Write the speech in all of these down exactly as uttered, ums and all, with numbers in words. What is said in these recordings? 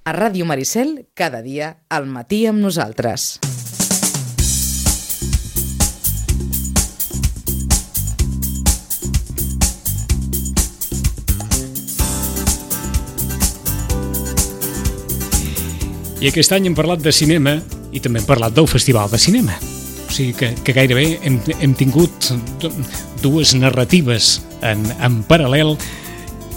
A Ràdio Maricel, cada dia, al matí amb nosaltres. I aquest any hem parlat de cinema i també hem parlat del Festival de Cinema. O sigui que, que gairebé hem, hem tingut dues narratives en, en paral·lel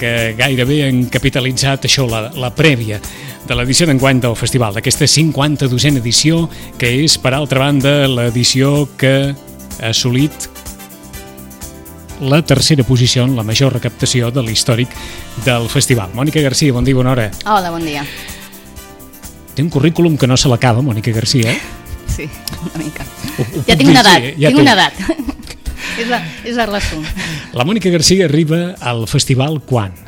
que gairebé han capitalitzat això, la, la prèvia de l'edició d'enguany del festival, d'aquesta cinquanta-dosena edició, que és, per altra banda, l'edició que ha assolit la tercera posició en la major recaptació de l'històric del festival. Mònica Garcia, bon dia, bona hora. Hola, bon dia. Té un currículum que no se l'acaba, Mònica Garcia, eh? Sí, una mica. Ho, ho ja tinc una edat, dir, ja tinc una edat. és, la, és el resum. La Mònica Garcia arriba al festival quan?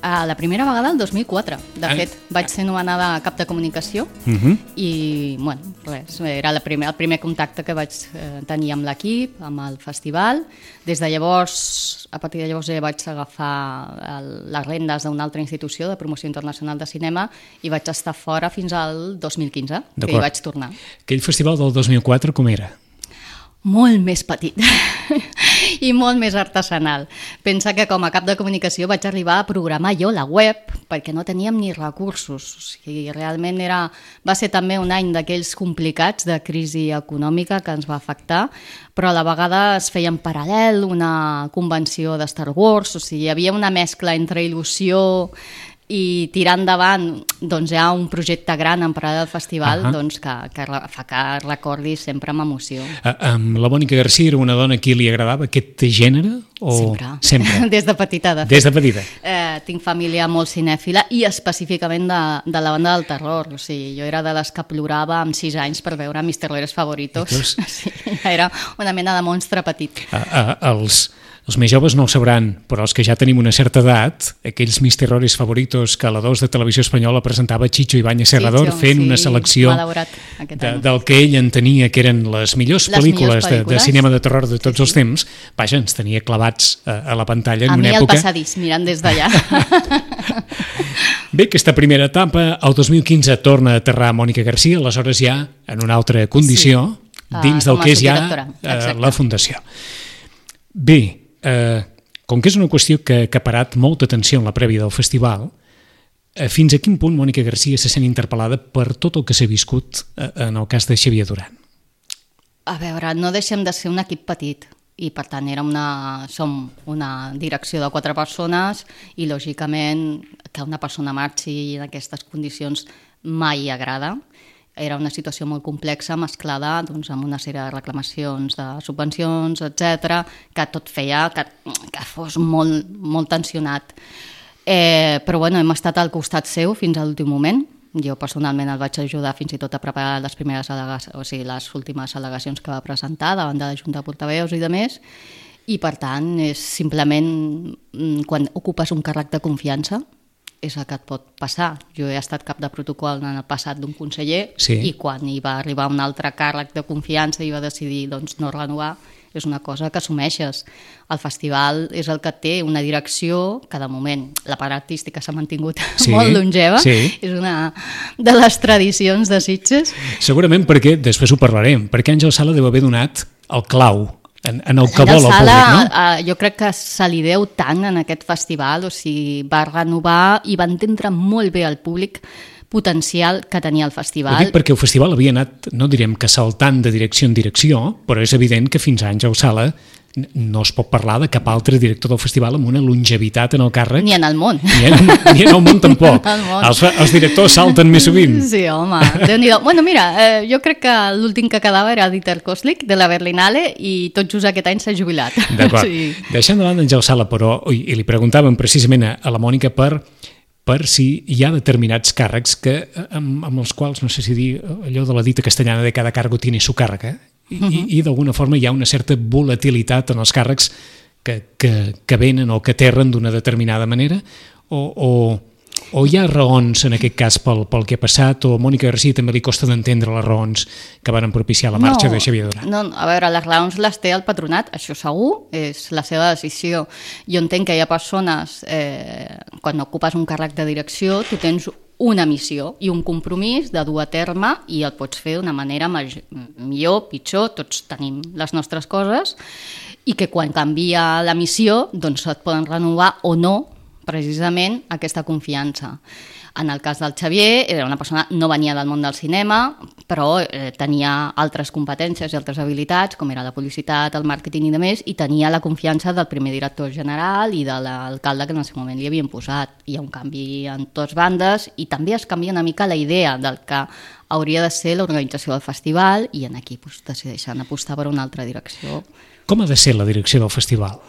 Uh, la primera vegada el dos mil quatre. De Ah. fet, vaig ser nomenada cap de comunicació Uh-huh. i, bueno, res, era la primer, el primer contacte que vaig eh, tenir amb l'equip, amb el festival. Des de llavors, a partir de llavors ja vaig agafar el, les rendes d'una altra institució de promoció internacional de cinema i vaig estar fora fins al dos mil quinze, que hi vaig tornar. Aquell festival del dos mil quatre com era? Molt més petit i molt més artesanal. Pensa que com a cap de comunicació vaig arribar a programar jo la web perquè no teníem ni recursos. O sigui, realment era, va ser també un any d'aquells complicats de crisi econòmica que ens va afectar, però a la vegada es feia en paral·lel una convenció de Star Wars, o sigui, hi havia una mescla entre il·lusió i tirar endavant doncs, hi ha un projecte gran en paral·lel al festival uh-huh. doncs, que, que fa que recordi sempre amb emoció. Uh, um, la Mònica Garcia era una dona a qui li agradava aquest gènere? O... Sempre. Sempre. Des de petita, de fet. Des de petita. Eh, tinc família molt cinèfila i específicament de, de la banda del terror. O sigui, jo era de les que plorava amb sis anys per veure Mis terrores favoritos. Sí, era una mena de monstre petit. Uh, uh, els... Els més joves no ho sabran, però els que ja tenim una certa edat, aquells Mis terrores favoritos que a la dos de Televisió Espanyola presentava Chicho Ibáñez Serrador Chicho, fent sí, una selecció de, del que ell entenia que eren les millors les pel·lícules, millors de, de pel·lícules cinema de terror de tots sí, sí. els temps. Vaja, ens tenia clavats a, a la pantalla en a una mi època... al passadís, mirant des d'allà. Bé, aquesta primera etapa, el dos mil quinze torna a aterrar Mònica Garcia, aleshores ja en una altra condició, sí. dins uh, del que és ja uh, la Fundació. Bé, eh... com que és una qüestió que, que ha parat molta atenció en la prèvia del festival, eh, fins a quin punt Mònica Garcia se sent interpel·lada per tot el que s'ha viscut eh, en el cas de Xavier Duran? A veure, no deixem de ser un equip petit i per tant era una, som una direcció de quatre persones i lògicament que una persona marxi en aquestes condicions mai agrada. Era una situació molt complexa, mesclada doncs, amb una sèrie de reclamacions de subvencions, etcètera, que tot feia que, que fos molt, molt tensionat. Eh, però bueno, hem estat al costat seu fins a l'últim moment. Jo personalment el vaig ajudar fins i tot a preparar les primeres al·legacions, o sigui, les últimes al·legacions que va presentar davant de la Junta de Portaveus i de més. I per tant, és simplement quan ocupes un càrrec de confiança, és el que et pot passar. Jo he estat cap de protocol en el passat d'un conseller sí. i quan hi va arribar un altre càrrec de confiança i va decidir doncs, no renovar, és una cosa que assumeixes. El festival és el que té una direcció que de moment la part artística s'ha mantingut sí, molt longeva, sí. és una de les tradicions de Sitges. Segurament perquè, després ho parlarem, perquè Àngel Sala deu haver donat el clau en, en el que Àngel vol el Sala, públic, no? Uh, jo crec que se li deu tant en aquest festival, o sigui, va renovar i va entendre molt bé el públic potencial que tenia el festival. Ho dic perquè el festival havia anat, no direm que saltant de direcció en direcció, però és evident que fins a Àngel Sala no es pot parlar de cap altre director del festival amb una longevitat en el càrrec. Ni en el món. Ni en, ni en el món tampoc. El món. Els, els directors salten més sovint. Sí, home, Déu-n'hi-do. Bueno, mira, eh, jo crec que l'últim que quedava era Dieter Koslik, de la Berlinale, i tot just aquest any s'ha jubilat. D'acord. Sí. Deixant de banda Àngel Sala, però, i, i li preguntàvem precisament a, a la Mònica per per si hi ha determinats càrrecs que, amb, amb els quals, no sé si dir allò de la dita castellana de cada cargo tiene su càrrega, i, uh-huh. i, i d'alguna forma hi ha una certa volatilitat en els càrrecs que, que, que venen o que aterren d'una determinada manera, o, o, o hi ha raons en aquest cas pel, pel que ha passat, o a Mònica Garcia també li costa d'entendre les raons que van propiciar la marxa no, de Xavier Duran? No, a veure, les raons les té el patronat, això segur, és la seva decisió. Jo entenc que hi ha persones, eh, quan ocupes un càrrec de direcció, tu tens una missió i un compromís de dur a terme i el pots fer d'una manera millor, pitjor, tots tenim les nostres coses i que quan canvia la missió doncs et poden renovar o no precisament aquesta confiança. En el cas del Xavier, era una persona, no venia del món del cinema, però eh, tenia altres competències i altres habilitats, com era la publicitat, el màrqueting i demés, i tenia la confiança del primer director general i de l'alcalde que en el seu moment li havien posat. Hi ha un canvi en totes bandes i també es canvia una mica la idea del que hauria de ser l'organització del festival i en aquí doncs, decideixen apostar per una altra direcció. Com ha de ser la direcció del festival?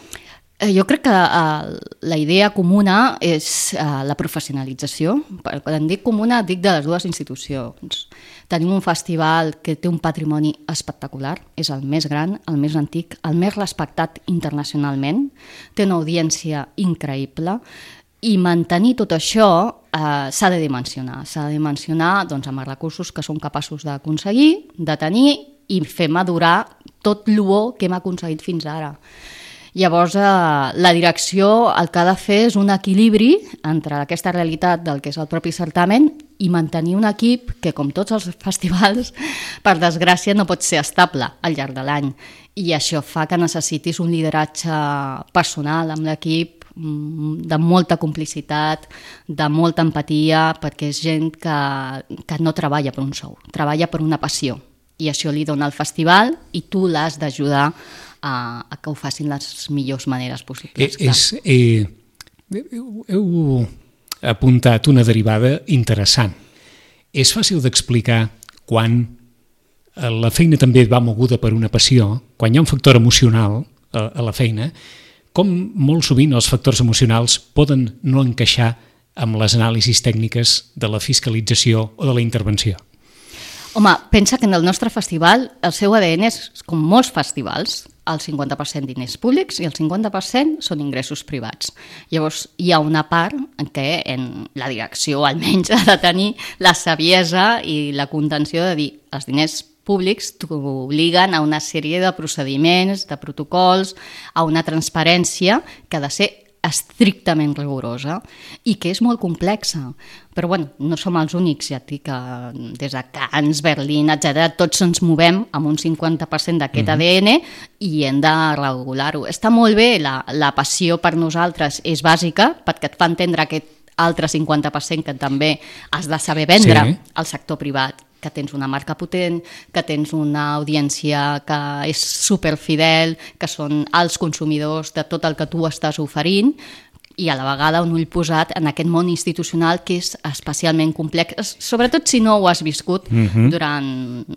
Jo crec que uh, la idea comuna és uh, la professionalització. Quan dic comuna, dic de les dues institucions. Tenim un festival que té un patrimoni espectacular, és el més gran, el més antic, el més respectat internacionalment, té una audiència increïble i mantenir tot això uh, s'ha de dimensionar. S'ha de dimensionar doncs, amb els recursos que som capaços d'aconseguir, de tenir i fer madurar tot l'o que hem aconseguit fins ara. Llavors, eh, la direcció el que ha de fer és un equilibri entre aquesta realitat del que és el propi certamen i mantenir un equip que, com tots els festivals, per desgràcia no pot ser estable al llarg de l'any. I això fa que necessitis un lideratge personal amb l'equip de molta complicitat, de molta empatia, perquè és gent que, que no treballa per un sou, treballa per una passió. I això li dona el festival i tu l'has d'ajudar a, a que ho facin les millors maneres possibles. Eh, és, eh, heu apuntat una derivada interessant. És fàcil d'explicar quan la feina també va moguda per una passió, quan hi ha un factor emocional a, a la feina, com molt sovint els factors emocionals poden no encaixar amb les anàlisis tècniques de la fiscalització o de la intervenció. Home, pensa que en el nostre festival el seu A D N és, com molts festivals, el cinquanta per cent diners públics i el cinquanta per cent són ingressos privats. Llavors, hi ha una part en què en la direcció almenys ha de tenir la saviesa i la contenció de dir els diners públics t'obliguen a una sèrie de procediments, de protocols, a una transparència que ha de ser estrictament rigorosa i que és molt complexa. Però bueno, no som els únics, ja et dic que des de Cannes, Berlín, etcètera, tots ens movem amb un cinquanta per cent d'aquest A D N i hem de regular-ho. Està molt bé, la, la passió per nosaltres és bàsica perquè et fa entendre aquest altre cinquanta per cent que també has de saber vendre sí. al sector privat, que tens una marca potent, que tens una audiència que és superfidel, que són els consumidors de tot el que tu estàs oferint i a la vegada un ull posat en aquest món institucional que és especialment complex, sobretot si no ho has viscut uh-huh. durant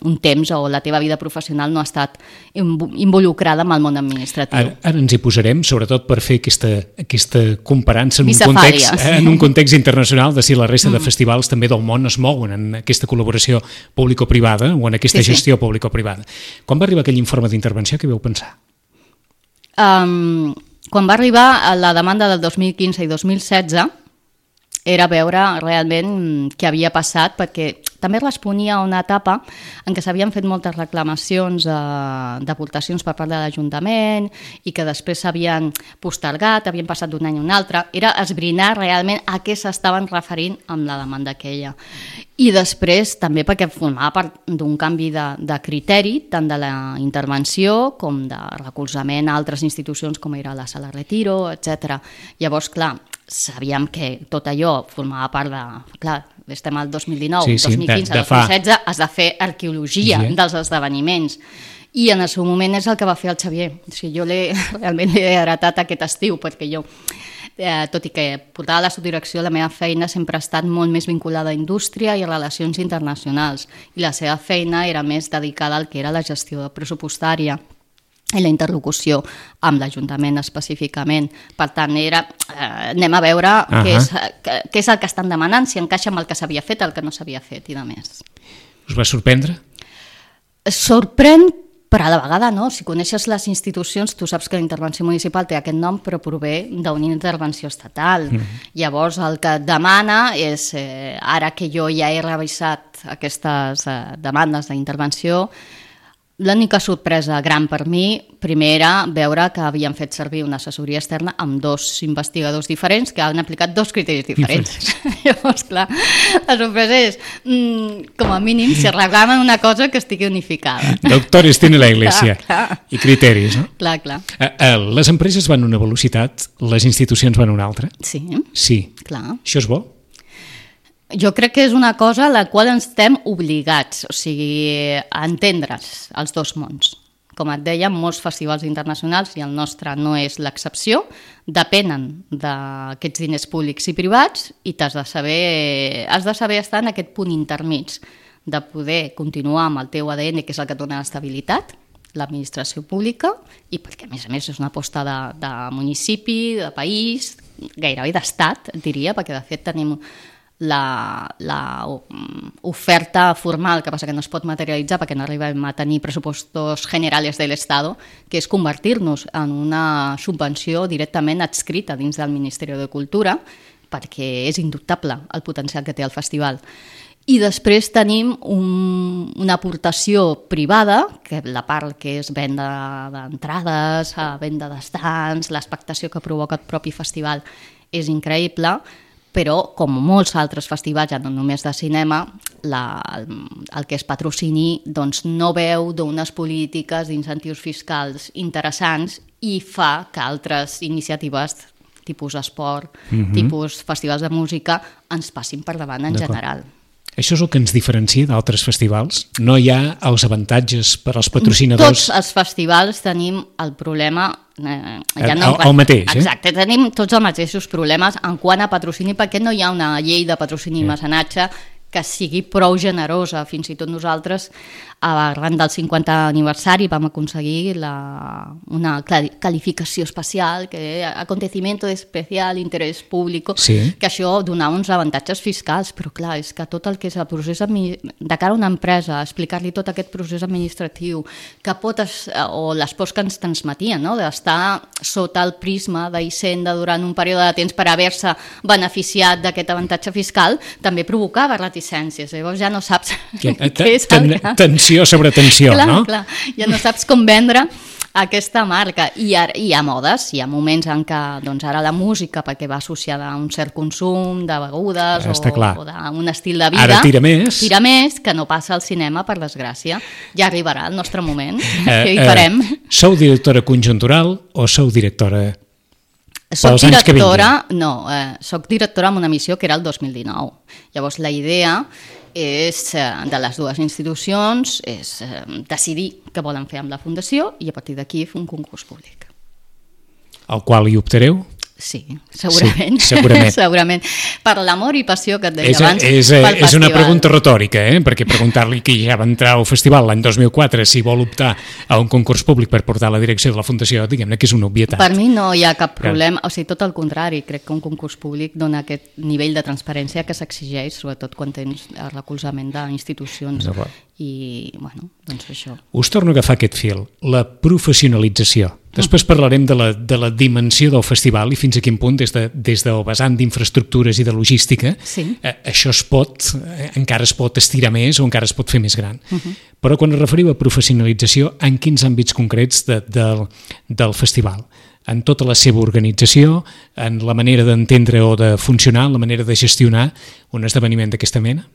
un temps o la teva vida professional no ha estat involucrada amb el món administratiu. Ara, ara ens hi posarem, sobretot per fer aquesta, aquesta comparança en un, context, en un context internacional de si la resta de festivals també del món es mouen en aquesta col·laboració público-privada o en aquesta sí, gestió sí. público-privada. Quan va arribar aquell informe d'intervenció, què vau pensar? Um... Quan va arribar la demanda del dos mil quinze i dos mil setze era veure realment què havia passat, perquè també responia a una etapa en què s'havien fet moltes reclamacions eh, d'aportacions per part de l'Ajuntament i que després s'havien postergat, havien passat d'un any a un altre. Era esbrinar realment a què s'estaven referint amb la demanda aquella. I després també perquè formava part d'un canvi de, de criteri, tant de la intervenció com de recolzament a altres institucions com era la Sala Retiro, etcètera. Llavors, clar, sabíem que tot allò formava part de... Clar, estem al dos mil dinou, sí, sí, dos mil quinze, de, de dos mil setze, fa... has de fer arqueologia sí. dels esdeveniments. I en el seu moment és el que va fer el Xavier. O sigui, jo l'he, realment l'he heretat aquest estiu, perquè jo... Eh, tot i que portava la subdirecció, la meva feina sempre ha estat molt més vinculada a indústria i a relacions internacionals i la seva feina era més dedicada al que era la gestió pressupostària i la interlocució amb l'Ajuntament específicament. Per tant, era, eh, anem a veure uh-huh. què, és, què, què és el que estan demanant, si encaixa amb el que s'havia fet, el que no s'havia fet i de més. Us va sorprendre? Sorprèn, però a la vegada no. Si coneixes les institucions, tu saps que la intervenció municipal té aquest nom, però prové d'una intervenció estatal. Mm. Llavors, el que et demana és, eh, ara que jo ja he revisat aquestes eh, demandes d'intervenció, L'única sorpresa gran per mi, primer era veure que havien fet servir una assessoria externa amb dos investigadors diferents que han aplicat dos criteris diferents. Llavors, clar, la sorpresa és, mm, com a mínim, si reclamen una cosa que estigui unificada. Doctores tiene la Iglesia. Clar, clar. I criteris, no? Clar, clar. Eh, eh, les empreses van a una velocitat, les institucions van a una altra? Sí. Sí. Clar. Això és bo? Jo crec que és una cosa a la qual ens estem obligats, o sigui, a entendre's els dos mons. Com et deia, molts festivals internacionals, i el nostre no és l'excepció, depenen d'aquests diners públics i privats i t'has de saber, has de saber estar en aquest punt intermig de poder continuar amb el teu A D N, que és el que et dona l'estabilitat, l'administració pública, i perquè a més a més és una aposta de, de municipi, de país, gairebé d'estat, diria, perquè de fet tenim la, la oferta formal, que passa que no es pot materialitzar perquè no arribem a tenir pressupostos generales de l'Estado, que és convertir-nos en una subvenció directament adscrita dins del Ministeri de Cultura, perquè és indubtable el potencial que té el festival. I després tenim un, una aportació privada, que la part que és venda d'entrades, venda d'estants, l'expectació que provoca el propi festival és increïble, però com molts altres festivals, ja no només de cinema, la, el, el que és patrocini doncs, no veu d'unes polítiques d'incentius fiscals interessants i fa que altres iniciatives, tipus esport, mm-hmm. tipus festivals de música, ens passin per davant en general. Això és el que ens diferencia d'altres festivals? No hi ha els avantatges per als patrocinadors? Tots els festivals tenim el problema... Eh, ja no, el, el mateix, eh? Exacte, tenim tots els mateixos problemes en quant a patrocini, perquè no hi ha una llei de patrocini i eh. mecenatge que sigui prou generosa. Fins i tot nosaltres, arran del cinquantè aniversari, vam aconseguir la, una qualificació especial, que acontecimiento de especial interès públic, sí. que això donava uns avantatges fiscals, però clar, és que tot el que és el procés de cara a una empresa, explicar-li tot aquest procés administratiu, que pot, o les pors que ens transmetien, no? D'estar sota el prisma d'Hisenda durant un període de temps per haver-se beneficiat d'aquest avantatge fiscal, també provocava reticències. Llavors ja no saps què és el que... Tensió sobre tensió, clar, no? Clar, ja no saps com vendre aquesta marca. I hi ha modes, hi ha moments en què doncs, ara la música, perquè va associada a un cert consum de begudes o, o d'un estil de vida, ara tira més. tira més, que no passa al cinema, per desgràcia. Ja arribarà el nostre moment, eh, que hi farem. Eh, sou directora conjuntural o sou directora... Soc directora, no, eh, soc directora amb una missió que era el dos mil dinou. Llavors la idea és, de les dues institucions, és eh, decidir què volen fer amb la fundació i a partir d'aquí fer un concurs públic. Al qual hi optareu? Sí, segurament. Sí, segurament. segurament. Per l'amor i passió que et deia és, abans és, pel festival. És una pregunta retòrica, eh? Perquè preguntar-li qui ja va entrar al festival l'any dos mil quatre si vol optar a un concurs públic per portar la direcció de la fundació, diguem-ne que és una obvietat. Per mi no hi ha cap problema, o sigui, tot el contrari, crec que un concurs públic dona aquest nivell de transparència que s'exigeix, sobretot quan tens el recolzament d'institucions. I, bueno, doncs això. Us torno a agafar aquest fil, la professionalització. Després parlarem de la, de la dimensió del festival i fins a quin punt, des, de, des del vessant d'infraestructures i de logística, sí. eh, això es pot, eh, encara es pot estirar més o encara es pot fer més gran. Uh-huh. Però quan es referiu a professionalització, en quins àmbits concrets de, del, del festival? En tota la seva organització, en la manera d'entendre o de funcionar, la manera de gestionar un esdeveniment d'aquesta mena?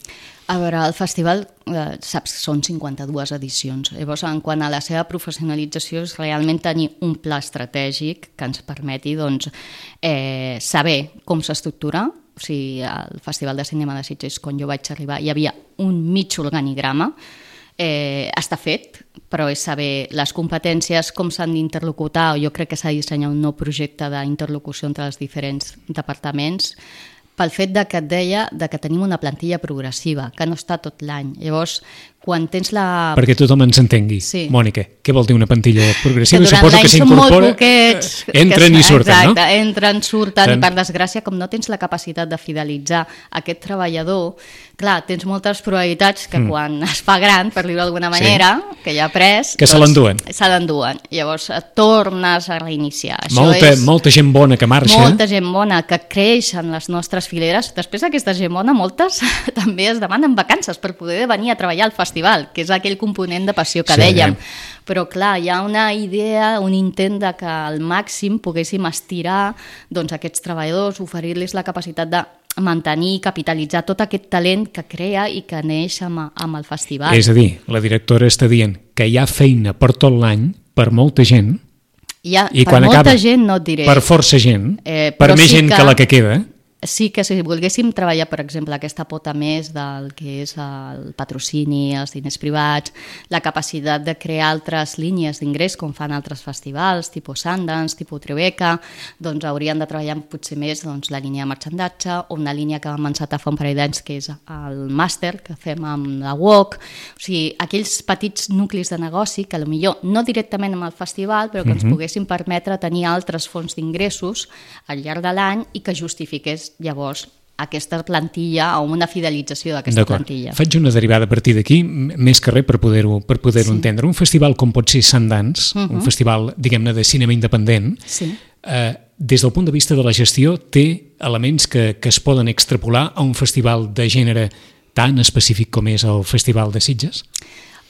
A veure, el festival, eh, saps, són cinquanta-dues edicions. Llavors, en quant a la seva professionalització, és realment tenir un pla estratègic que ens permeti doncs, eh, saber com s'estructura. O sigui, al Festival de Cinema de Sitges, quan jo vaig arribar, hi havia un mig organigrama. Eh, està fet, però és saber les competències, com s'han d'interlocutar. Jo crec que s'ha de dissenyar un nou projecte d'interlocució entre els diferents departaments, pel fet de que et deia de que tenim una plantilla progressiva, que no està tot l'any. Llavors, quan tens la... Perquè tothom ens entengui. Sí. Mònica, què vol dir una plantilla progressiva? Que durant Suposo l'any que són molt s'incorpora... poquets. Entren que, i surten, exacte, no? Entren, surten, Tant... i per desgràcia, com no tens la capacitat de fidelitzar aquest treballador, clar, tens moltes probabilitats que mm. quan es fa gran, per dir-ho d'alguna manera, sí. que ja ha pres... Que doncs, se l'enduen. Se l'enduen. Llavors, tornes a reiniciar. Això molta, és... molta gent bona que marxa. Molta gent bona que creix en les nostres fileres. Després d'aquesta gent bona, moltes també es demanen vacances per poder venir a treballar al festival. festival, que és aquell component de passió que Sí. dèiem. Però clar, hi ha una idea, un intent de que al màxim poguéssim estirar doncs, aquests treballadors, oferir-los la capacitat de mantenir i capitalitzar tot aquest talent que crea i que neix amb, amb el festival. És a dir, la directora està dient que hi ha feina per tot l'any, per molta gent, Hi ha, i per quan molta acaba, gent no et diré. per força gent, Eh, per però més sí gent que... que la que queda, Sí que si volguéssim treballar, per exemple, aquesta pota més del que és el patrocini, els diners privats, la capacitat de crear altres línies d'ingrés, com fan altres festivals, tipus Sundance, tipus Tribeca, doncs haurien de treballar potser més doncs, la línia de marxandatge o una línia que vam encetar fa un parell d'anys, que és el màster que fem amb la U O C. O sigui, aquells petits nuclis de negoci que potser no directament amb el festival, però que ens poguessin permetre tenir altres fonts d'ingressos al llarg de l'any i que justifiqués llavors aquesta plantilla o una fidelització d'aquesta d'acord. plantilla. Faig una derivada a partir d'aquí, m- més que res per poder-ho per poder-ho Sí. entendre. Un festival com pot ser Sundance, Mhm. un festival, diguem-ne, de cinema independent, Sí. eh, des del punt de vista de la gestió, té elements que, que es poden extrapolar a un festival de gènere tan específic com és el Festival de Sitges?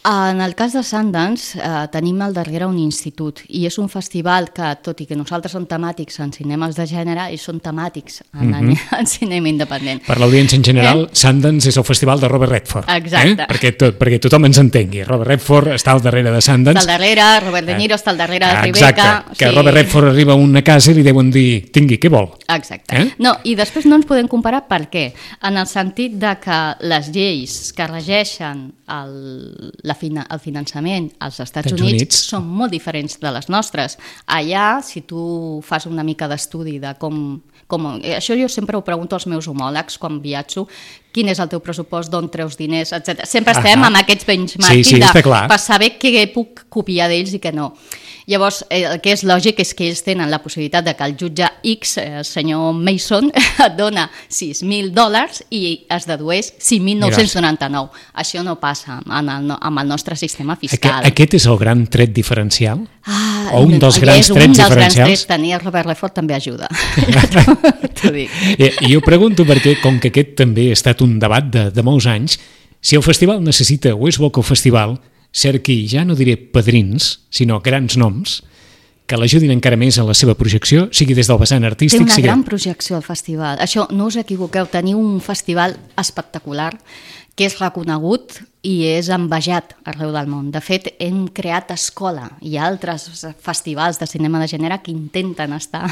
En el cas de Sundance eh, tenim al darrere un institut i és un festival que, tot i que nosaltres som temàtics en cinemes de gènere, ells són temàtics en, Mhm. en, en cinema independent. Per l'audiència en general, eh? Sundance és el festival de Robert Redford. Exacte. Eh? Perquè, tot, perquè tothom ens entengui. Robert Redford està al darrere de Sundance. Està al darrere, Robert De Niro està al darrere de Tribeca. Exacte, que Robert Redford arriba a una casa i li deuen dir, tingui, què vol? Exacte. Eh? No, i després no ens podem comparar per què? En el sentit de que les lleis que regeixen el, la fina, el finançament als Estats Estats Units, Units són molt diferents de les nostres. Allà, si tu fas una mica d'estudi de com, com... Això jo sempre ho pregunto als meus homòlegs quan viatjo, quin és el teu pressupost, d'on treus diners, etcètera. Sempre estem Ahà. amb aquests benchmarking Sí, sí, està clar. per saber què puc copiar d'ells i què no. Llavors, eh, el que és lògic és que ells tenen la possibilitat de que el jutge X, eh, el senyor Mason, et dona sis mil dòlars i es dedueix cinc mil nou-cents noranta-nou. Això no passa en el, amb el nostre sistema fiscal. Aquest, aquest és el gran tret diferencial? Ah, o un dels grans és un trets dels diferencials? grans trets. Tenir el Robert Redford també ajuda. T'ho dic. I, I jo pregunto perquè, com que aquest també ha estat un debat de, de molts anys, si el festival necessita, o és bo que el festival cerqui, ja no diré padrins, sinó grans noms, que l'ajudin encara més en la seva projecció, sigui des del vessant Té artístic... una sigui... gran projecció al festival. Això, no us equivoqueu, teniu un festival espectacular que és reconegut i és envejat arreu del món. De fet, hem creat escola. Hi ha altres festivals de cinema de gènere que intenten estar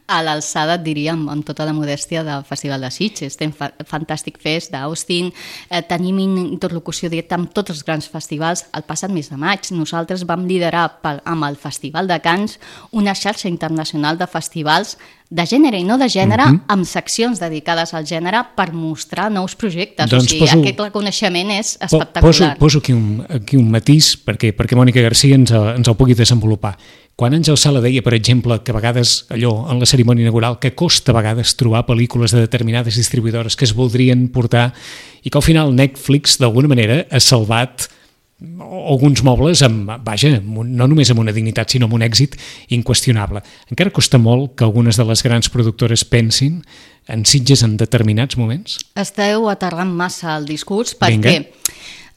a l'alçada, diríem, amb tota la modèstia del Festival de Sitges. Tenim Fantastic Fest d'Austin, eh, tenim interlocució directa amb tots els grans festivals. El passat mes de maig nosaltres vam liderar pel, amb el Festival de Cannes una xarxa internacional de festivals de gènere i no de gènere, uh-huh. amb seccions dedicades al gènere per mostrar nous projectes. Doncs o sigui, poso, aquest reconeixement és po, espectacular. Poso, poso aquí, un, aquí un matís perquè, perquè Mònica Garcia ens, ens el pugui desenvolupar. Quan Àngel Sala deia, per exemple, que a vegades allò, en la cerimònia inaugural, que costa a vegades trobar pel·lícules de determinades distribuïdores que es voldrien portar i que al final Netflix, d'alguna manera, ha salvat alguns mobles, amb, vaja, no només amb una dignitat, sinó amb un èxit inqüestionable. Encara costa molt que algunes de les grans productores pensin en Sitges en determinats moments? Esteu aterrant massa el discurs perquè Vinga.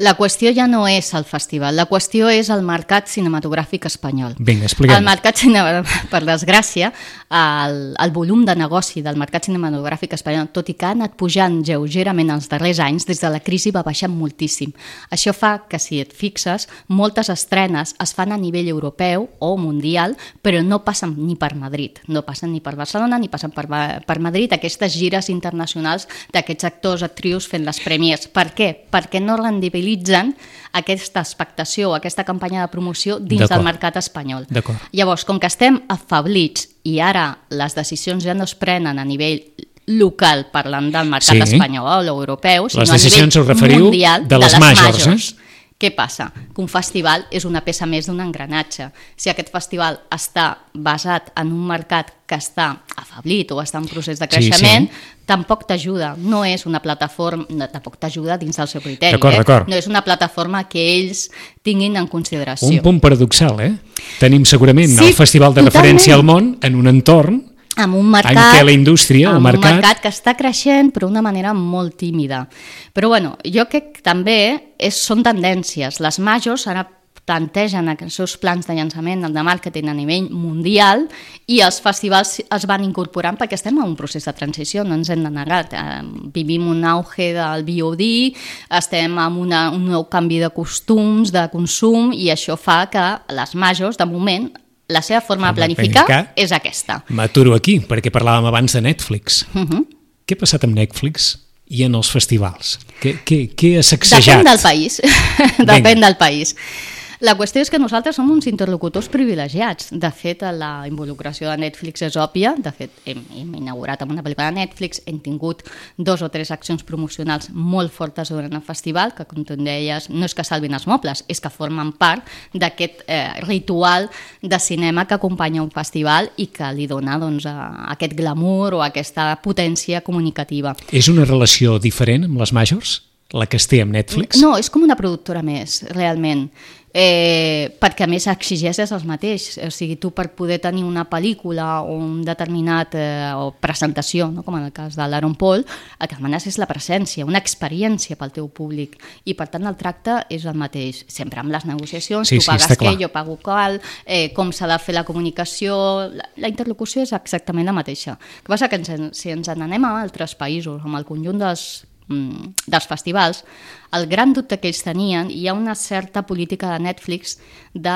La qüestió ja no és el festival, la qüestió és el mercat cinematogràfic espanyol. Vinga, expliquem. El mercat cinematogràfic, per desgràcia, el, el volum de negoci del mercat cinematogràfic espanyol, tot i que ha anat pujant lleugerament els darrers anys, des de la crisi va baixar moltíssim. Això fa que, si et fixes, moltes estrenes es fan a nivell europeu o mundial, però no passen ni per Madrid, no passen ni per Barcelona ni passen per, per Madrid, aquestes gires internacionals d'aquests actors, actrius fent les prèmies. Per què? Perquè no rendibilitzen aquesta expectació o aquesta campanya de promoció dins del mercat espanyol. Llavors, com que estem afablits i ara les decisions ja no es prenen a nivell local parlant del mercat sí. espanyol o europeu, sinó les decisions a nivell mundial de les, de les majors. majors. Eh? Què passa? Que un festival és una peça més d'un engranatge. Si aquest festival està basat en un mercat que està afablit o està en procés de creixement, sí, sí. tampoc t'ajuda. No és una plataforma, no, tampoc t'ajuda dins del seu criteri. D'acord, eh? d'acord. No és una plataforma que ells tinguin en consideració. Un punt paradoxal, eh? Tenim segurament sí, el festival de totalment. referència al món en un entorn amb un mercat, en què la indústria, amb el mercat... un mercat que està creixent però d'una manera molt tímida. Però bueno, jo crec que també és, són tendències. Les majors ara plantegen els seus plans de llançament de màrqueting a nivell mundial i els festivals es van incorporant perquè estem en un procés de transició, no ens hem de negar. Vivim un auge del V O D, estem en una, un nou canvi de costums, de consum, i això fa que les majors, de moment, la seva forma de planificar, planificar és aquesta. M'aturo aquí, perquè parlàvem abans de Netflix. Uh -huh. Què ha passat amb Netflix i en els festivals? Què, què, què ha sacsejat? Depèn del país. Depèn del país. La qüestió és que nosaltres som uns interlocutors privilegiats. De fet, la involucració de Netflix és òbvia. De fet, hem, hem inaugurat amb una pel·lícula de Netflix, hem tingut dos o tres accions promocionals molt fortes durant el festival, que, com tu deies, no és que salvin els mobles, és que formen part d'aquest eh, ritual de cinema que acompanya un festival i que li dona doncs, aquest glamour o aquesta potència comunicativa. És una relació diferent amb les majors, la que es té amb Netflix? No, és com una productora més, realment. Eh, perquè a més exigeixes els mateix, o sigui, tu per poder tenir una pel·lícula o un determinat eh, o presentació, no? Com en el cas de l'Aaron Paul, el que demanes és la presència, una experiència pel teu públic, i per tant el tracte és el mateix, sempre amb les negociacions, sí, tu sí, pagues què, clar. jo pago qual, eh, com s'ha de fer la comunicació, la, la interlocució és exactament la mateixa. El que passa que ens, si ens n'anem a altres països, amb el conjunt dels dels festivals, el gran dubte que ells tenien, hi ha una certa política de Netflix de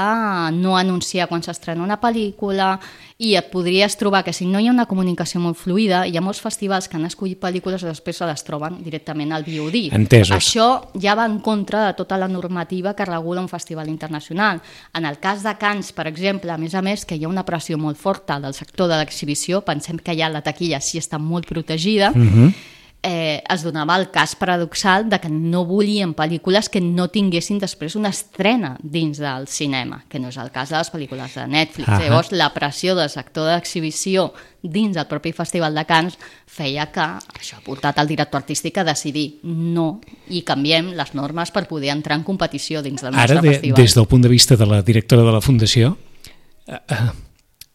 no anunciar quan s'estrena una pel·lícula, i et podries trobar que si no hi ha una comunicació molt fluida, hi ha molts festivals que han escollit pel·lícules i després se les troben directament al V O D. Entesos. Això ja va en contra de tota la normativa que regula un festival internacional. En el cas de Cannes, per exemple, a més a més, que hi ha una pressió molt forta del sector de l'exhibició, pensem que ja la taquilla sí està molt protegida, uh-huh. Eh, es donava el cas paradoxal de que no volien pel·lícules que no tinguessin després una estrena dins del cinema, que no és el cas de les pel·lícules de Netflix. Uh-huh. Llavors, la pressió del sector d'exhibició dins del propi Festival de Cannes feia que això ha portat el director artístic a decidir no, i canviem les normes per poder entrar en competició dins del nostre Ara, de, festival. Des del punt de vista de la directora de la Fundació, uh, uh,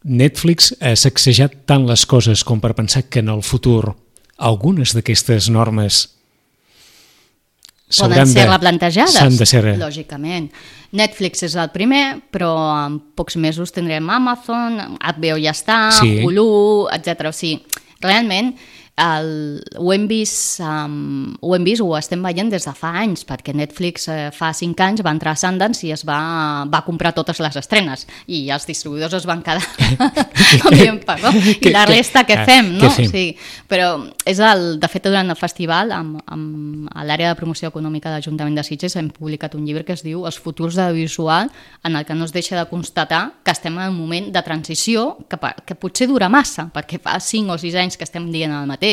Netflix ha sacsejat tant les coses com per pensar que en el futur algunes d'aquestes normes poden ser de, replantejades, s'han de ser... lògicament. Netflix és el primer, però en pocs mesos tindrem Amazon, H B O ja està, sí. Hulu, etcètera. O sigui, realment el, ho hem vist um, ho hem vist, ho estem veient des de fa anys, perquè Netflix eh, fa cinc anys va entrar a Sundance i es va, va comprar totes les estrenes, i els distribuïdors es van quedar dient, perdó, i la resta què fem, no? Fem? Sí, però és el, de fet durant el festival amb, amb, a l'àrea de promoció econòmica de l'Ajuntament de Sitges hem publicat un llibre que es diu Els futurs de l'audiovisual, en el que no es deixa de constatar que estem en un moment de transició que, que potser dura massa, perquè fa cinc o sis anys que estem dient el mateix.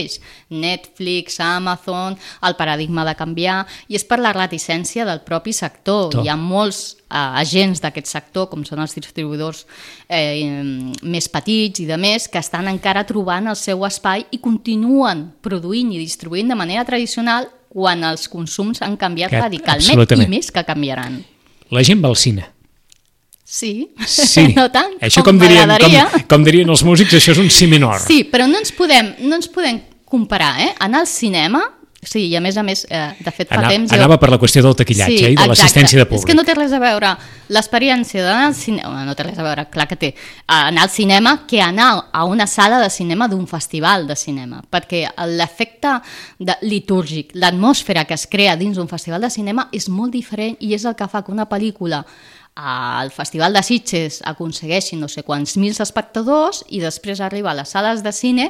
Netflix, Amazon, el paradigma de canviar, i és per la reticència del propi sector. Tot. Hi ha molts eh, agents d'aquest sector, com són els distribuïdors eh, més petits i de més, que estan encara trobant el seu espai i continuen produint i distribuint de manera tradicional quan els consums han canviat que, radicalment, i més que canviaran. La gent va al cine. Sí, sí. No tant, això com, com dirien, com, com dirien els músics, això és un si menor. Sí, però no ens podem, no ens podem comparar, eh? Anar al cinema, sí, i a més a més, eh, de fet fa Ana, temps... Anava jo... per la qüestió del taquillatge sí, i de l'assistència de públic. És que no té res a veure l'experiència d'anar al cinema, no té res a veure, clar que té, anar al cinema que anar a una sala de cinema d'un festival de cinema, perquè l'efecte litúrgic, l'atmosfera que es crea dins d'un festival de cinema és molt diferent, i és el que fa que una pel·lícula al Festival de Sitges aconsegueixi no sé quants mils espectadors i després arriba a les sales de cine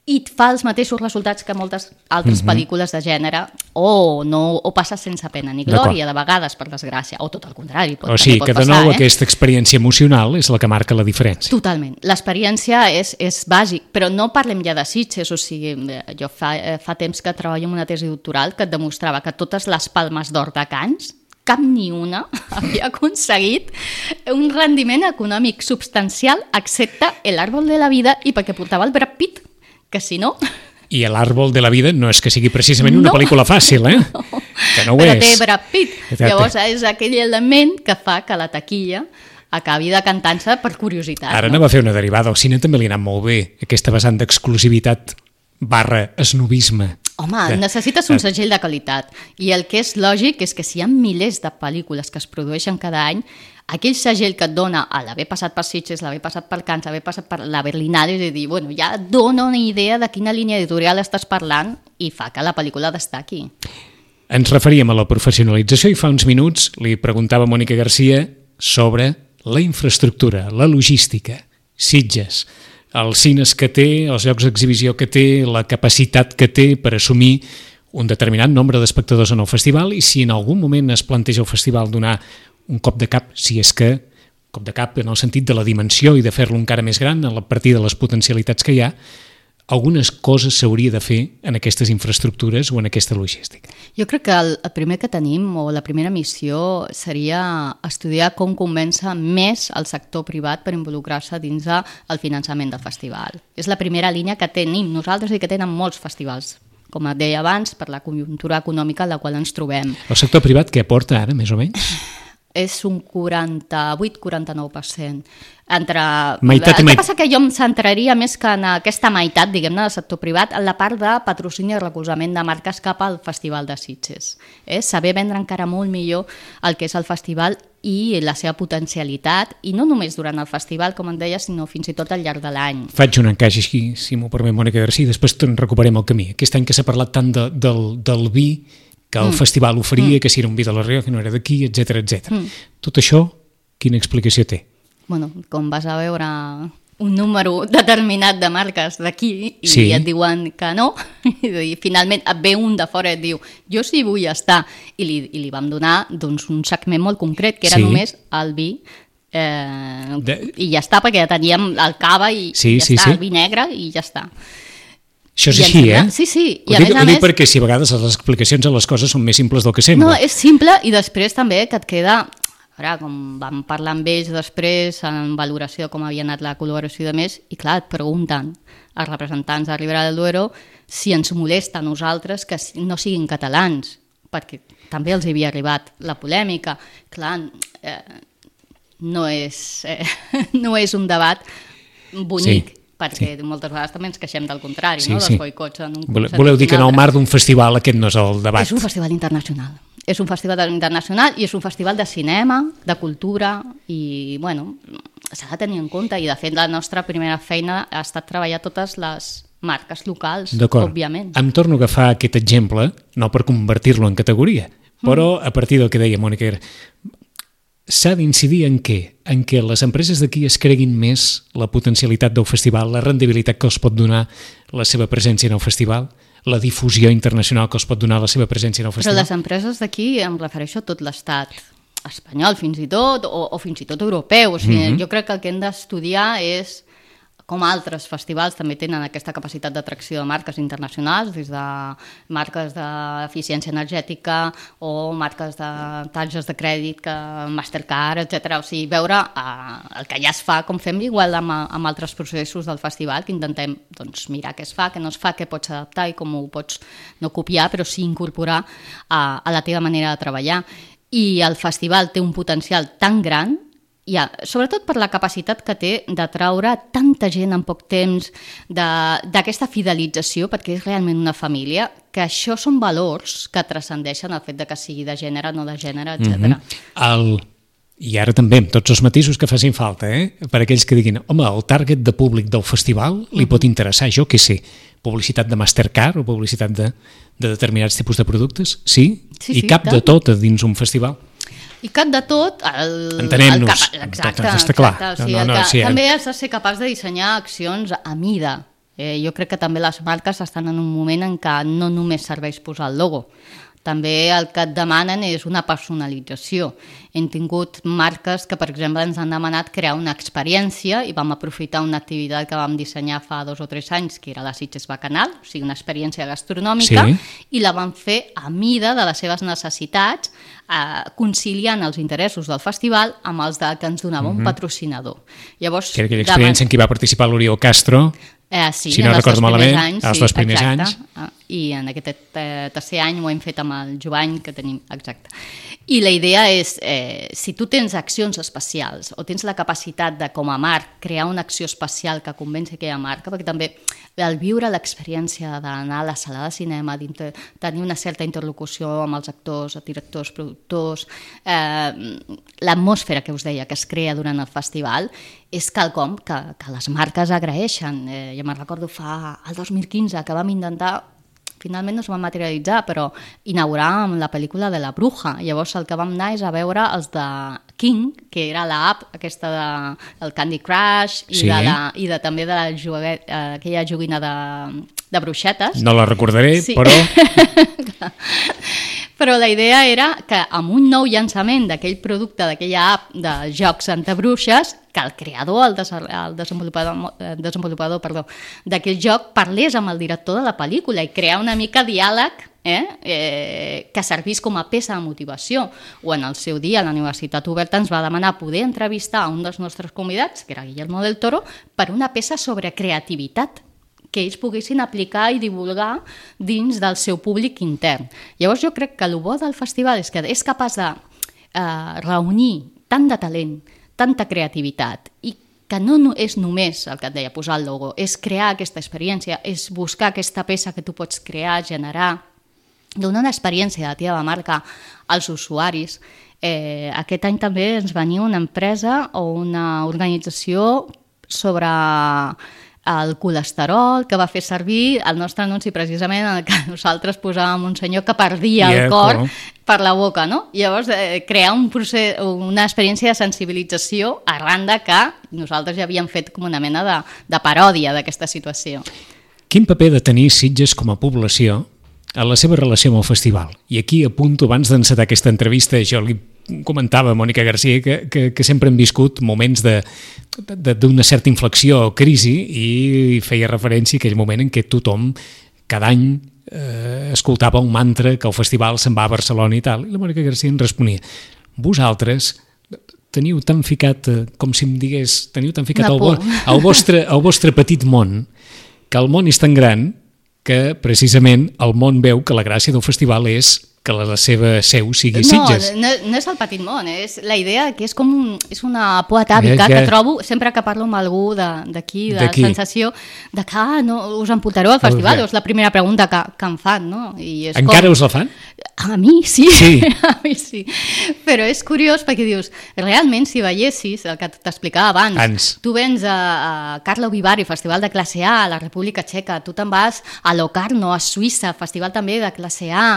i fa els mateixos resultats que moltes altres mm-hmm. pel·lícules de gènere, o no o passa sense pena ni glòria, de vegades, per desgràcia, o tot el contrari. Pot, o sigui, pot que de passar, nou eh? aquesta experiència emocional és la que marca la diferència. Totalment. L'experiència és, és bàsic, però no parlem ja de Sitges, o sigui, jo fa, fa temps que treballo en una tesi doctoral que et demostrava que totes les palmes d'or de Cannes, cap ni una havia aconseguit un rendiment econòmic substancial excepte El árbol de la vida, i perquè portava el Brad Pitt, que si no... I El árbol de la vida no és que sigui precisament una no. pel·lícula fàcil, eh? No. Que no ho Però és. té Brad Pitt. Llavors és aquell element que fa que la taquilla acabi decantant-se per curiositat. Ara no? anava a fer una derivada. Al cine també li ha anat molt bé aquesta vessant d'exclusivitat barra esnobisme. Home, que... necessites un segell de qualitat. I el que és lògic és que si hi ha milers de pel·lícules que es produeixen cada any, aquell segell que et dona a l'haver passat per Sitges, l'haver passat per Cannes, l'haver passat per la Berlinale, és a dir, bueno, ja et dona una idea de quina línia editorial estàs parlant i fa que la pel·lícula destaqui. Ens referíem a la professionalització i fa uns minuts li preguntava a Mònica Garcia sobre la infraestructura, la logística, Sitges, els cines que té, els llocs d'exhibició que té, la capacitat que té per assumir un determinat nombre d'espectadors en el festival i si en algun moment es planteja el festival donar un cop de cap, si és que cop de cap en el sentit de la dimensió i de fer-lo encara més gran a partir de les potencialitats que hi ha, algunes coses s'hauria de fer en aquestes infraestructures o en aquesta logística. Jo crec que el, el primer que tenim, o la primera missió, seria estudiar com convèncer més el sector privat per involucrar-se dins el finançament del festival. És la primera línia que tenim nosaltres i que tenen molts festivals, com et deia abans, per la conjuntura econòmica en la qual ens trobem. El sector privat què aporta ara, més o menys? És un quaranta-vuit a quaranta-nou per cent. Entre... Meitat i el que meitat. passa que jo em centraria més que en aquesta meitat, diguem-ne, del sector privat, en la part de patrocini i recolzament de marques cap al Festival de Sitges. Eh? Saber vendre encara molt millor el que és el festival i la seva potencialitat, i no només durant el festival, com en deia, sinó fins i tot al llarg de l'any. Faig un encaix així, si m'ho permet, Mònica Garcia, i després te'n recuperem el camí. Aquest any que s'ha parlat tant de, del, del vi que el mm. festival oferia, mm. que si era un vi de la Rioja, que no era d'aquí, etcètera, etcètera. Mm. Tot això, quina explicació té? Bueno, com vas a veure un número determinat de marques d'aquí i sí. et diuen que no, i finalment et ve un de fora i et diu jo sí vull estar, i li, i li vam donar doncs, un segment molt concret, que era sí. només el vi, eh, de... i ja està, perquè ja teníem el cava i, sí, i ja sí, està, sí. el vi negre i ja està. Això és així, eh? Sí, sí. I ho, dic, ho dic perquè si a vegades les explicacions a les coses són més simples del que sembla. No, és simple i després també que et queda... Ara, com vam parlar amb ells després, en valoració de com havia anat la col·laboració i de més, i clar, et pregunten els representants de Ribera del Duero si ens molesta a nosaltres que no siguin catalans, perquè també els havia arribat la polèmica. Clar, eh, no, és, eh, no és un debat bonic, sí. perquè sí. moltes vegades també ens queixem del contrari, sí, no? dels sí. boicots en un concert. Voleu dir que en el marc d'un festival aquest no és el debat? És un festival internacional. És un festival internacional i és un festival de cinema, de cultura i, bueno, s'ha de tenir en compte i, de fet, la nostra primera feina ha estat treballar totes les marques locals, òbviament. Em torno a agafar aquest exemple, no per convertir-lo en categoria, però a partir del que deia Mònica, s'ha d'incidir en què? En què les empreses d'aquí es creguin més la potencialitat del festival, la rendibilitat que els pot donar la seva presència en el festival, la difusió internacional que els pot donar la seva presència en el festival. Però les empreses d'aquí, em refereixo a tot l'estat espanyol fins i tot, o, o fins i tot europeu. O sigui, mm-hmm. Jo crec que el que hem d'estudiar és com altres festivals també tenen aquesta capacitat d'atracció de marques internacionals, des de marques d'eficiència energètica o marques de targes de crèdit, que Mastercard, etcètera. O sigui, veure eh, el que ja es fa, com fem igual amb, amb altres processos del festival, que intentem doncs, mirar què es fa, què no es fa, què pots adaptar i com ho pots no copiar, però sí incorporar a, a la teva manera de treballar. I el festival té un potencial tan gran, ja, sobretot per la capacitat que té d'atraure tanta gent en poc temps, d'aquesta fidelització, perquè és realment una família, que això són valors que transcendeixen el fet de que sigui de gènere, no de gènere, etcètera. Mm-hmm. El... I ara també, amb tots els matisos que facin falta, eh? Per aquells que diguin, home, el target de públic del festival li mm-hmm. pot interessar, jo què sé, publicitat de Mastercard o publicitat de, de determinats tipus de productes? Sí? Sí, I sí, cap tant. de tot a dins un festival? I cap de tot... El, Entenem-nos. El cap, exacte, està clar. exacte. O sigui, no, no, que, sí, també has de ser capaç de dissenyar accions a mida. Eh, jo crec que també les marques estan en un moment en què no només serveix posar el logo, també el que et demanen és una personalització. Hem tingut marques que, per exemple, ens han demanat crear una experiència i vam aprofitar una activitat que vam dissenyar fa dos o tres anys, que era la Sitges Bacanal, o sigui, una experiència gastronòmica, sí. I la vam fer a mida de les seves necessitats, eh, conciliant els interessos del festival amb els de que ens donava mm-hmm. un patrocinador. Llavors, que era aquella experiència davant... en què va participar l'Oriol Castro, Eh, sí, si no en els recordo dos primers malament, anys, els sí, dos primers exacte. anys. Ah, I en aquest eh, tercer any ho hem fet amb el Jovany, que tenim, exacte. I la idea és, eh, si tu tens accions especials o tens la capacitat de, com a marc, crear una acció especial que convenci aquella marca, perquè també el viure l'experiència d'anar a la sala de cinema, tenir una certa interlocució amb els actors, directors, productors, eh, l'atmosfera que us deia que es crea durant el festival, és quelcom que, que les marques agraeixen. Eh, jo me'n recordo fa el dos mil quinze que vam intentar, finalment no es va materialitzar, però inaugurar amb la pel·lícula de La Bruja. Llavors el que vam anar és a veure els de King, que era l'app aquesta de, del Candy Crush i, sí. de la, i de, també de la joguet, eh, aquella joguina de, de bruixetes. No la recordaré, sí. però... Però la idea era que amb un nou llançament d'aquell producte, d'aquella app de jocs antibruixes, que el creador, el, des el desenvolupador, el desenvolupador perdó, d'aquell joc parlés amb el director de la pel·lícula i crear una mica diàleg eh, eh, que servís com a peça de motivació. O en el seu dia la Universitat Oberta ens va demanar poder entrevistar a un dels nostres convidats, que era Guillermo del Toro, per una peça sobre creativitat que ells poguessin aplicar i divulgar dins del seu públic intern. Llavors jo crec que el bo del festival és que és capaç de eh, reunir tant de talent, tanta creativitat, i que no és només el que et deia, posar el logo, és crear aquesta experiència, és buscar aquesta peça que tu pots crear, generar, donar una experiència de teva marca als usuaris. Eh, aquest any també ens venia una empresa o una organització sobre el colesterol, que va fer servir el nostre anunci precisament en el que nosaltres posàvem un senyor que perdia yeah, el cor no? per la boca, no? I llavors eh, crear un procés, una experiència de sensibilització arran de que nosaltres ja havíem fet com una mena de, de paròdia d'aquesta situació. Quin paper ha de tenir Sitges com a població en la seva relació amb el festival? I aquí apunto, abans d'encetar aquesta entrevista, jo li comentava a Mònica Garcia que, que, que sempre hem viscut moments d'una certa inflexió o crisi, i feia referència a aquell moment en què tothom cada any eh, escoltava un mantra que el festival se'n va a Barcelona i tal, i la Mònica Garcia en responia: vosaltres teniu tan ficat, com si em digués, teniu tan ficat al, vo al, vostre, al vostre petit món, que el món és tan gran que precisament el món veu que la gràcia del festival és que la seva seu sigui Sitges. No, no, no és el petit món, és la idea que és com un, és una por atàvica que... que trobo sempre que parlo amb algú d'aquí, de, de la sensació de que ah, no, us emportareu al festival, és la primera pregunta que, que em fan, no? I és encara com... us la fan? A mi sí, sí. a mi sí, però és curiós perquè dius, realment si veiessis el que t'explicava abans, Ans. tu vens a, a Karlovy Vary, festival de classe A a la República Txeca, tu te'n vas a Locarno, a Suïssa, festival també de classe A,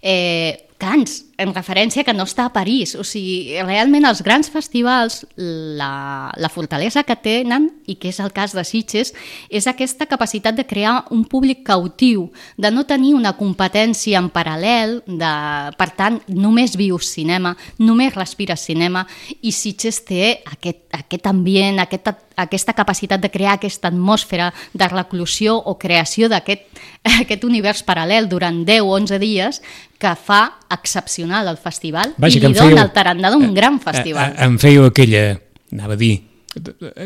eh, Cannes, en referència que no està a París. O sigui, realment els grans festivals, la, la fortalesa que tenen, i que és el cas de Sitges, és aquesta capacitat de crear un públic cautiu, de no tenir una competència en paral·lel, de, per tant, només vius cinema, només respires cinema, i Sitges té aquest, aquest ambient, aquest, aquesta capacitat de crear aquesta atmosfera de reclusió o creació d'aquest aquest univers paral·lel durant deu o onze dies que fa excepcional el festival. Vaja, i li dona el tarannà d'un gran festival. A, a, em fèieu aquella, anava a dir,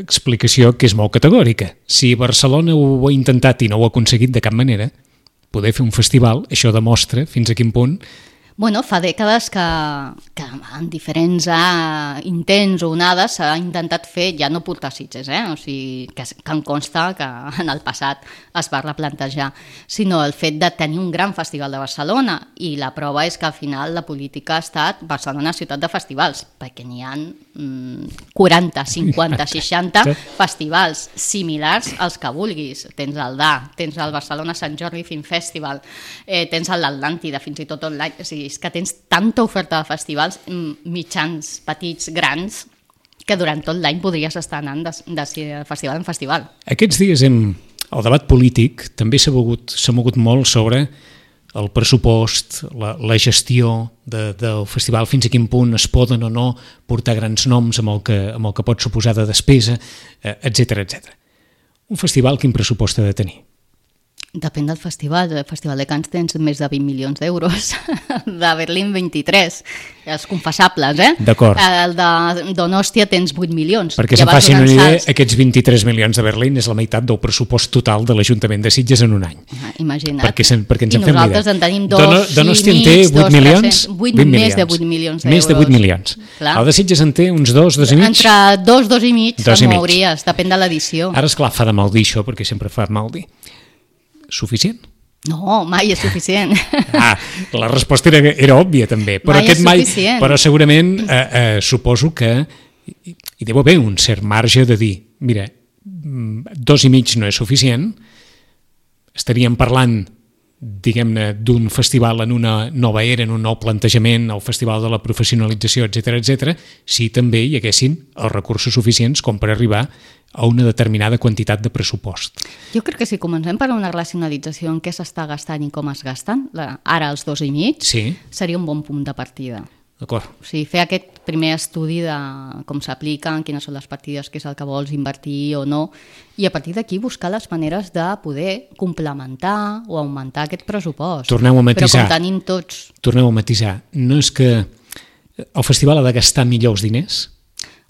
explicació que és molt categòrica. Si Barcelona ho ha intentat i no ho ha aconseguit de cap manera, poder fer un festival, això demostra fins a quin punt. Bueno, fa dècades que, que en diferents uh, intents o onades s'ha intentat fer, ja no portar Sitges, eh? O sigui, que, que em consta que en el passat es va replantejar, sinó el fet de tenir un gran festival de Barcelona, i la prova és que al final la política ha estat Barcelona ciutat de festivals, perquè n'hi ha mm, quaranta, cinquanta, seixanta festivals similars als que vulguis. Tens el D A, tens el Barcelona Sant Jordi Film Festival, eh, tens l'Atlàntida, fins i tot online, o sigui, és que tens tanta oferta de festivals mitjans, petits, grans, que durant tot l'any podries estar anant de, de festival en festival. Aquests dies hem, el debat polític també s'ha mogut, s'ha mogut molt sobre el pressupost, la, la gestió de, del festival, fins a quin punt es poden o no portar grans noms amb el que, amb el que pot suposar de despesa, etcètera, etcètera. Un festival quin pressupost ha de tenir? Depèn del festival. El Festival de Cannes tens més de vint milions d'euros. De Berlín, vint-i-tres. Els confessables, eh? D'acord. El de Donòstia tens vuit milions. Perquè se'n facin una idea, aquests vint-i-tres milions de Berlín és la meitat del pressupost total de l'Ajuntament de Sitges en un any. Ah, imagina't. Perquè, sen, perquè ens I en fem nosaltres idea. en tenim dos Dono, i Donòstia en mig, té vuit dos, milions? vuit, vuit més de vuit milions d'euros. Més de vuit milions. Clar. El de Sitges en té uns dos, dos i mig? Entre dos, dos i mig, dos se'n i mig. mouries, depèn de l'edició. Ara, esclar, fa de mal dir això, perquè sempre fa mal dir. Suficient? No, mai és suficient. Ah, la resposta era, era òbvia també, però Mai és aquest mai, suficient. però segurament eh, eh, suposo que hi, hi deu haver un cert marge de dir, mira, dos i mig no és suficient, estaríem parlant, diguem-ne, d'un festival en una nova era, en un nou plantejament, el festival de la professionalització, etcètera, etcètera, si també hi haguessin els recursos suficients com per arribar a una determinada quantitat de pressupost. Jo crec que si comencem per una racionalització en què s'està gastant i com es gasten, la, ara els dos i mig, sí. Seria un bon punt de partida. D'acord. O sigui, fer aquest primer estudi de com s'apliquen, quines són les partides, què és el que vols invertir o no, i a partir d'aquí buscar les maneres de poder complementar o augmentar aquest pressupost. Torneu a matisar. Però com tenim tots... Torneu a matisar. No és que el festival ha de gastar millor els diners?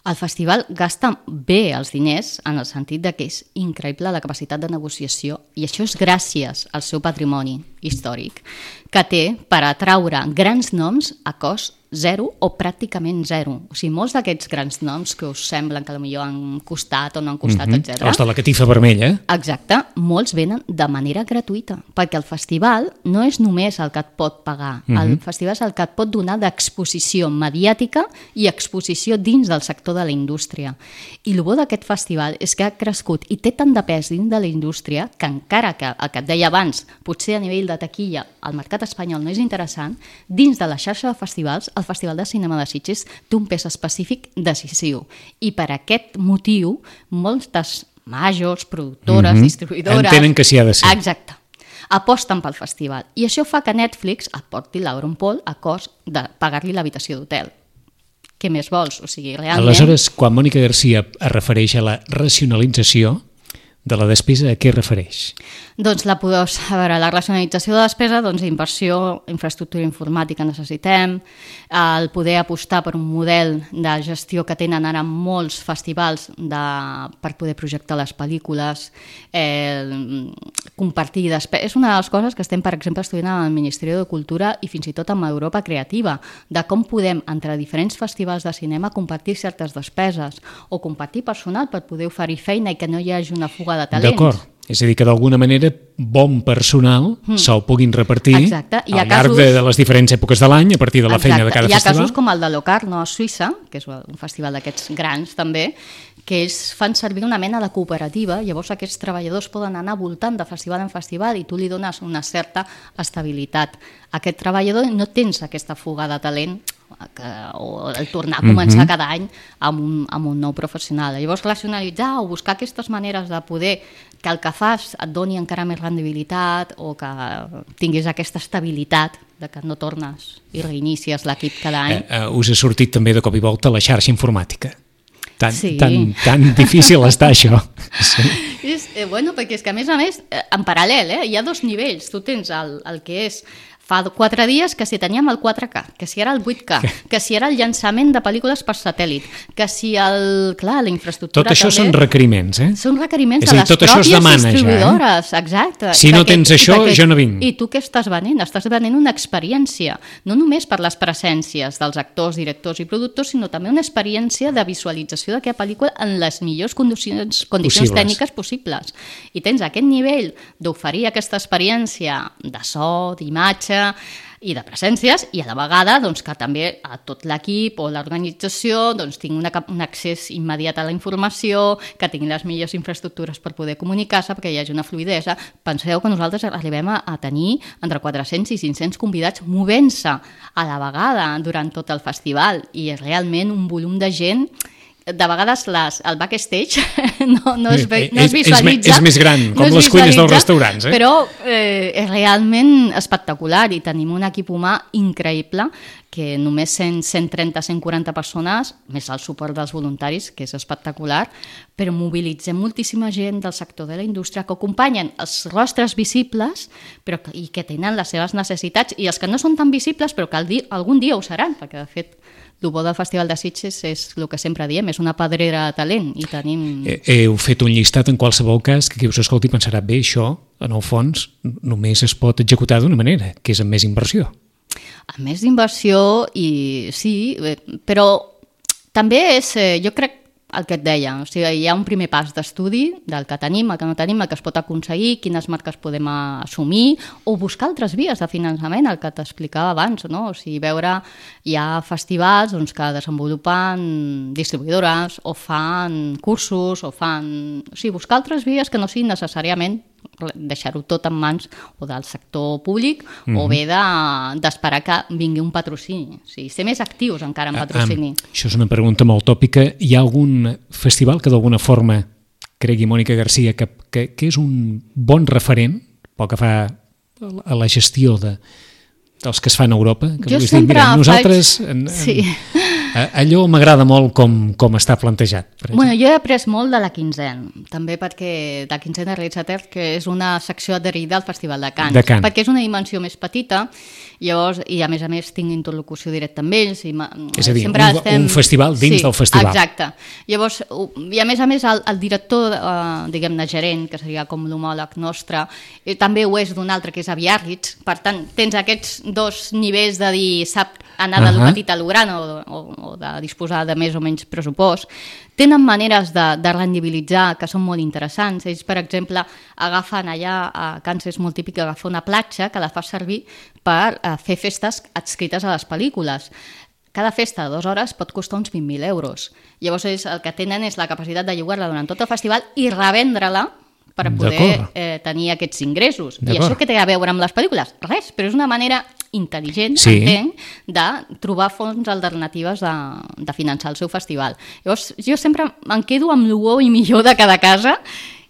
El festival gasta bé els diners en el sentit de que és increïble la capacitat de negociació i això és gràcies al seu patrimoni històric que té per atraure grans noms a cost zero o pràcticament zero. O sigui, molts d'aquests grans noms que us semblen que potser han costat o no han costat, mm-hmm. etcètera. Els de la catifa vermella. Exacte, molts venen de manera gratuïta, perquè el festival no és només el que et pot pagar, mm-hmm. el festival és el que et pot donar d'exposició mediàtica i exposició dins del sector de la indústria. I el bo d'aquest festival és que ha crescut i té tant de pes dins de la indústria que encara que el que et deia abans, potser a nivell de taquilla el mercat espanyol no és interessant, dins de la xarxa de festivals el Festival de Cinema de Sitges té un pes específic decisiu i per aquest motiu moltes majors, productores, mm-hmm. distribuïdores... Entenen que s'hi ha de ser. Exacte. Aposten pel festival i això fa que Netflix et porti l'Auron Paul a cost de pagar-li l'habitació d'hotel. Què més vols? O sigui, realment... Aleshores, quan Mònica Garcia es refereix a la racionalització de la despesa, a què refereix? Doncs la, a veure, la racionalització de despesa, doncs inversió, infraestructura informàtica necessitem, el poder apostar per un model de gestió que tenen ara molts festivals de, per poder projectar les pel·lícules, eh, compartir despesa. És una de les coses que estem, per exemple, estudiant al Ministeri de Cultura i fins i tot amb Europa Creativa, de com podem, entre diferents festivals de cinema, compartir certes despeses o compartir personal per poder oferir feina i que no hi hagi una fuga de talents. D'acord. És a dir, que d'alguna manera bon personal mm. se'l puguin repartir Exacte. I al llarg casos... de, de les diferents èpoques de l'any, a partir de la Exacte. feina de cada hi ha festival. Hi ha casos com el de Locarno a Suïssa, que és un festival d'aquests grans també, que ells fan servir una mena de cooperativa, llavors aquests treballadors poden anar voltant de festival en festival i tu li dones una certa estabilitat. Aquest treballador no tens aquesta fuga de talent que, o el tornar a començar mm-hmm. cada any amb un, amb un nou professional. Llavors racionalitzar o buscar aquestes maneres de poder que el que fas et doni encara més rendibilitat o que tinguis aquesta estabilitat de que no tornes i reinicies l'equip cada any. Eh, eh, us ha sortit també de cop i volta la xarxa informàtica. Tan, sí. tan, tan difícil està això. Sí. És, eh, bueno, perquè és que a més a més, eh, en paral·lel, eh, hi ha dos nivells. Tu tens el, el que és fa quatre dies que si teníem el quatre K, que si era el vuit K, que si era el llançament de pel·lícules per satèl·lit, que si el... Clar, la infraestructura tot això també... són requeriments, eh? Són requeriments és de dir, les pròpies demana, distribuïdores, ja, eh? exacte. Si no tens això, perquè, jo no vinc. I tu què estàs venent? Estàs venent una experiència, no només per les presències dels actors, directors i productors, sinó també una experiència de visualització d'aquella pel·lícula en les millors condicions, condicions tècniques possibles. I tens aquest nivell d'oferir aquesta experiència de so, d'imatge i de presències, i a la vegada doncs, que també a tot l'equip o l'organització doncs, tingui una, un accés immediat a la informació, que tinguin les millors infraestructures per poder comunicar-se, perquè hi hagi una fluïdesa. Penseu que nosaltres arribem a, a tenir entre quatre-cents i cinc-cents convidats movent-se a la vegada durant tot el festival, i és realment un volum de gent. De vegades les, el backstage no, no, es, no es visualitza. És, és, és més gran, com no les cuines dels restaurants. Eh? Però eh, és realment espectacular i tenim un equip humà increïble que només cent, cent trenta, cent quaranta persones, més el suport dels voluntaris, que és espectacular, però mobilitzem moltíssima gent del sector de la indústria que acompanyen els rostres visibles però que, i que tenen les seves necessitats, i els que no són tan visibles però que di, algun dia ho seran, perquè de fet el bo del Festival de Sitges és el que sempre diem, és una pedrera de talent i tenim... Heu fet un llistat en qualsevol cas que qui us escolti pensarà, bé, això, en el fons, només es pot executar d'una manera, que és amb més inversió. Amb més inversió, i sí, però també és, jo crec, el que et deia, o sigui, hi ha un primer pas d'estudi del que tenim, el que no tenim, el que es pot aconseguir, quines marques podem assumir, o buscar altres vies de finançament, el que t'explicava abans, no? O sigui, veure, hi ha festivals doncs, que desenvolupen distribuïdores, o fan cursos, o fan... O sigui, buscar altres vies que no siguin necessàriament deixar-ho tot en mans o del sector públic mm-hmm. o bé d'esperar de, que vingui un patrocini. O sigui, ser més actius encara en patrocini. Ah, ah, això és una pregunta molt tòpica. Hi ha algun festival que d'alguna forma cregui Mònica Garcia que, que, que és un bon referent pel que fa a la gestió de, dels que es fan a Europa? Que jo sempre dir, mira, nosaltres, faig... En, en, sí. allò m'agrada molt com, com està plantejat. Bueno, jo he après molt de la Quinzena, també perquè la Quinzena Realitzater, que és una secció adherida al Festival de Cants, de Cant. perquè és una dimensió més petita, llavors, i a més a més tinc interlocució directa amb ells. I és a dir, un, estem... un festival dins sí, del festival. Exacte. Llavors, i a més a més el, el director, eh, diguem-ne gerent, que seria com l'homòleg nostre, eh, també ho és d'un altre que és a Biarritz, per tant, tens aquests dos nivells de dir, sap anar de uh -huh. lo petit a lo gran o, o, o de disposar de més o menys pressupost. Tenen maneres de, de rendibilitzar que són molt interessants. Ells, per exemple, agafen allà, a Cants és molt típic agafar una platja que la fa servir per eh, fer festes adscrites a les pel·lícules. Cada festa de dues hores pot costar uns vint mil euros. Llavors ells el que tenen és la capacitat de llogar-la durant tot el festival i revendre-la per poder eh, tenir aquests ingressos. I això què té a veure amb les pel·lícules? Res, però és una manera intel·ligent, sí. entenc, de trobar fonts alternatives de, de finançar el seu festival. Llavors, jo sempre em quedo amb el bo i millor de cada casa,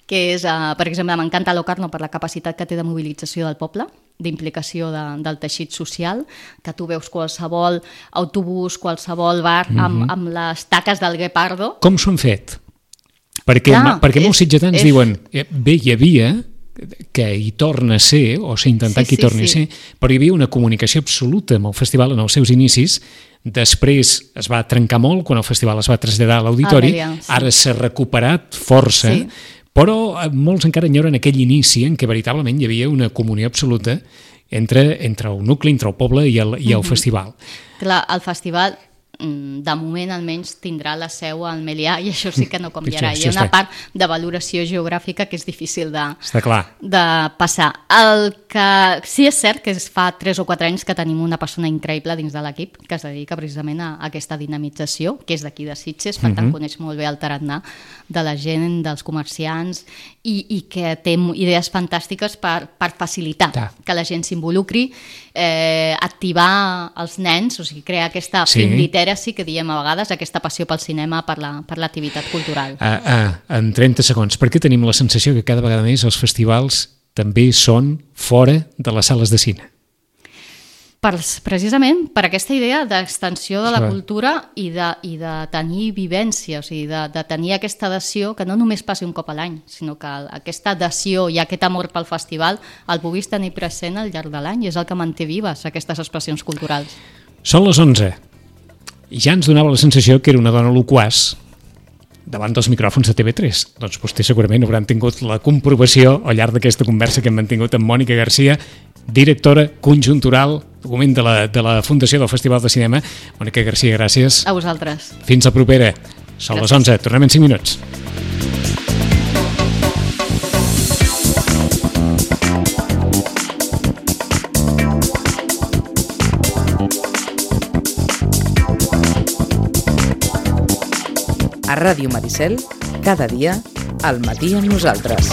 que és, eh, per exemple, m'encanta Locarno per la capacitat que té de mobilització del poble, d'implicació de, del teixit social, que tu veus qualsevol autobús, qualsevol bar, mm-hmm. amb, amb les taques del Guepardo. Com s'ho han fet? Perquè, Clar, perquè és, molts sitgetans és... diuen, bé, hi havia, que hi torna a ser, o s'ha intentat sí, que hi torni sí, sí. a ser, però hi havia una comunicació absoluta amb el festival en els seus inicis, després es va trencar molt quan el festival es va traslladar a l'auditori, ah, sí. ara s'ha recuperat força, sí. però molts encara enyoren aquell inici en què veritablement hi havia una comunió absoluta entre, entre el nucli, entre el poble i el, i el mm-hmm. festival. Clar, el festival de moment almenys tindrà la seu al Melià i això sí que no canviarà. Hi ha una part de valoració geogràfica que és difícil de, de passar. El que sí és cert que fa tres o quatre anys que tenim una persona increïble dins de l'equip que es dedica precisament a aquesta dinamització, que és d'aquí de Sitges, per tant uh-huh. coneix molt bé el tarannà de la gent, dels comerciants i, i que té idees fantàstiques per, per facilitar ja. que la gent s'involucri, eh, activar els nens, o sigui, crear aquesta sí. film literacy que diem a vegades, aquesta passió pel cinema, per la, per l'activitat cultural. Ah, ah, en trenta segons, per què tenim la sensació que cada vegada més els festivals també són fora de les sales de cine? Per, precisament per aquesta idea d'extensió de la cultura i de, i de tenir vivència, o sigui, de, de tenir aquesta adhesió que no només passi un cop a l'any, sinó que aquesta adhesió i aquest amor pel festival el puguis tenir present al llarg de l'any i és el que manté vives aquestes expressions culturals. Són les onze i ja ens donava la sensació que era una dona loquaç davant dels micròfons de T V tres. Doncs vostè segurament hauran tingut la comprovació al llarg d'aquesta conversa que hem mantingut amb Mònica Garcia, directora conjuntural document de la, de la Fundació del Festival de Cinema. Mònica Garcia, gràcies. A vosaltres. Fins la propera. Són gràcies. Les onze. Tornem en cinc minuts. A Ràdio Maricel, cada dia, al matí amb nosaltres.